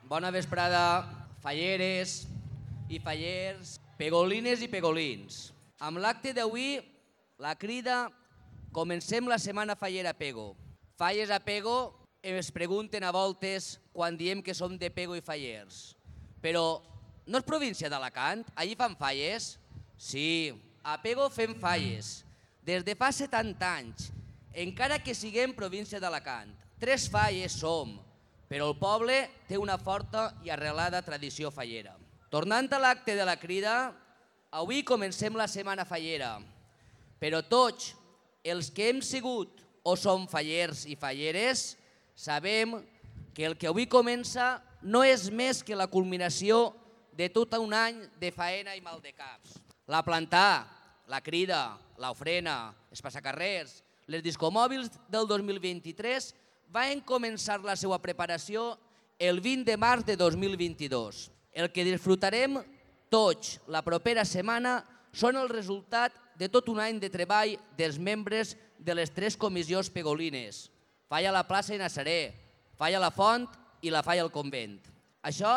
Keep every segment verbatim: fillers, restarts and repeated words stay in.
Bona vesprada, falleres i fallers, pegolines i pegolins. Amb l'acte d'avui, la crida Comencem la setmana fallera a Pego. Falles a Pego es pregunten a voltes quan diem que som de Pego i fallers. Però no és província d'Alacant? Allí fan falles? Sí, a Pego fem falles. Des de fa setanta anys, encara que siguem província d'Alacant. Tres falles som, però el poble té una forta i arrelada tradició fallera. Tornant a l'acte de la crida, avui comencem la setmana fallera, però tots els que hem sigut o som fallers i falleres sabem que el que avui comença no és més que la culminació de tot un any de faena i maldecaps. La plantar, la crida, l'ofrena, els passacarrers, les discomòbils del dos mil vint-i-tres van començar la seva preparació el vint de març de dos mil vint-i-dos. El que disfrutarem tots la propera setmana són el resultat de tot un any de treball dels membres de les tres comissions pegolines. Falla la plaça i Nazaré, falla la font i la falla el convent. Això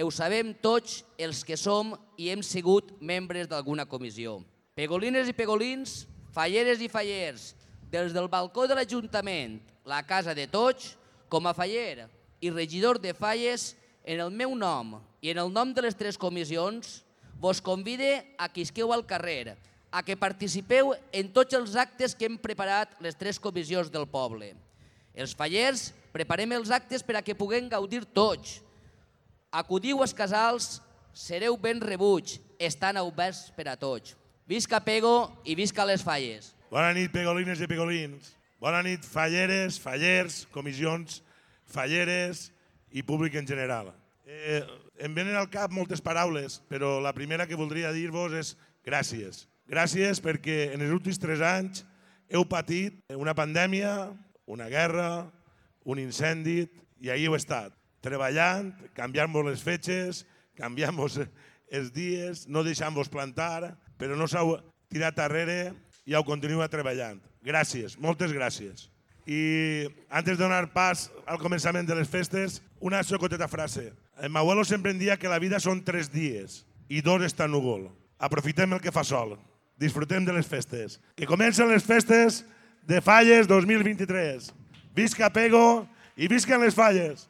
ho sabem tots els que som i hem sigut membres d'alguna comissió. Pegolines i pegolins, falleres i fallers, des del balcó de l'Ajuntament, la casa de tots, com a faller i regidor de falles, en el meu nom i en el nom de les tres comissions, vos convide a que isqueu al carrer, a que participeu en tots els actes que hem preparat les tres comissions del poble. Els fallers preparem els actes per a que puguem gaudir tots. Acudiu als casals, sereu ben rebuts, estan oberts per a tots. Visca Pego i visca les falles. Bona nit, pegolines i pegolins. Bona nit, falleres, fallers, comissions, falleres i públic en general. Eh, em venen al cap moltes paraules, però la primera que voldria dir-vos és gràcies. Gràcies perquè en els últims tres anys heu patit una pandèmia, una guerra, un incendi, i ahí heu estat, treballant, canviant-vos les fetges, canviant-vos els dies, no deixant-vos plantar, però no s'heu tirat darrere i heu continuat treballant. Gràcies, moltes gràcies. I antes de donar pas al començament de les festes, una xocoteta frase. El meu abuelo sempre em dia que la vida són tres dies i dos està núvol. Aprofitem el que fa sol. Disfrutem de les festes. Que comencen les festes de Falles dos mil vint-i-tres. Visca Pego i visquen les falles!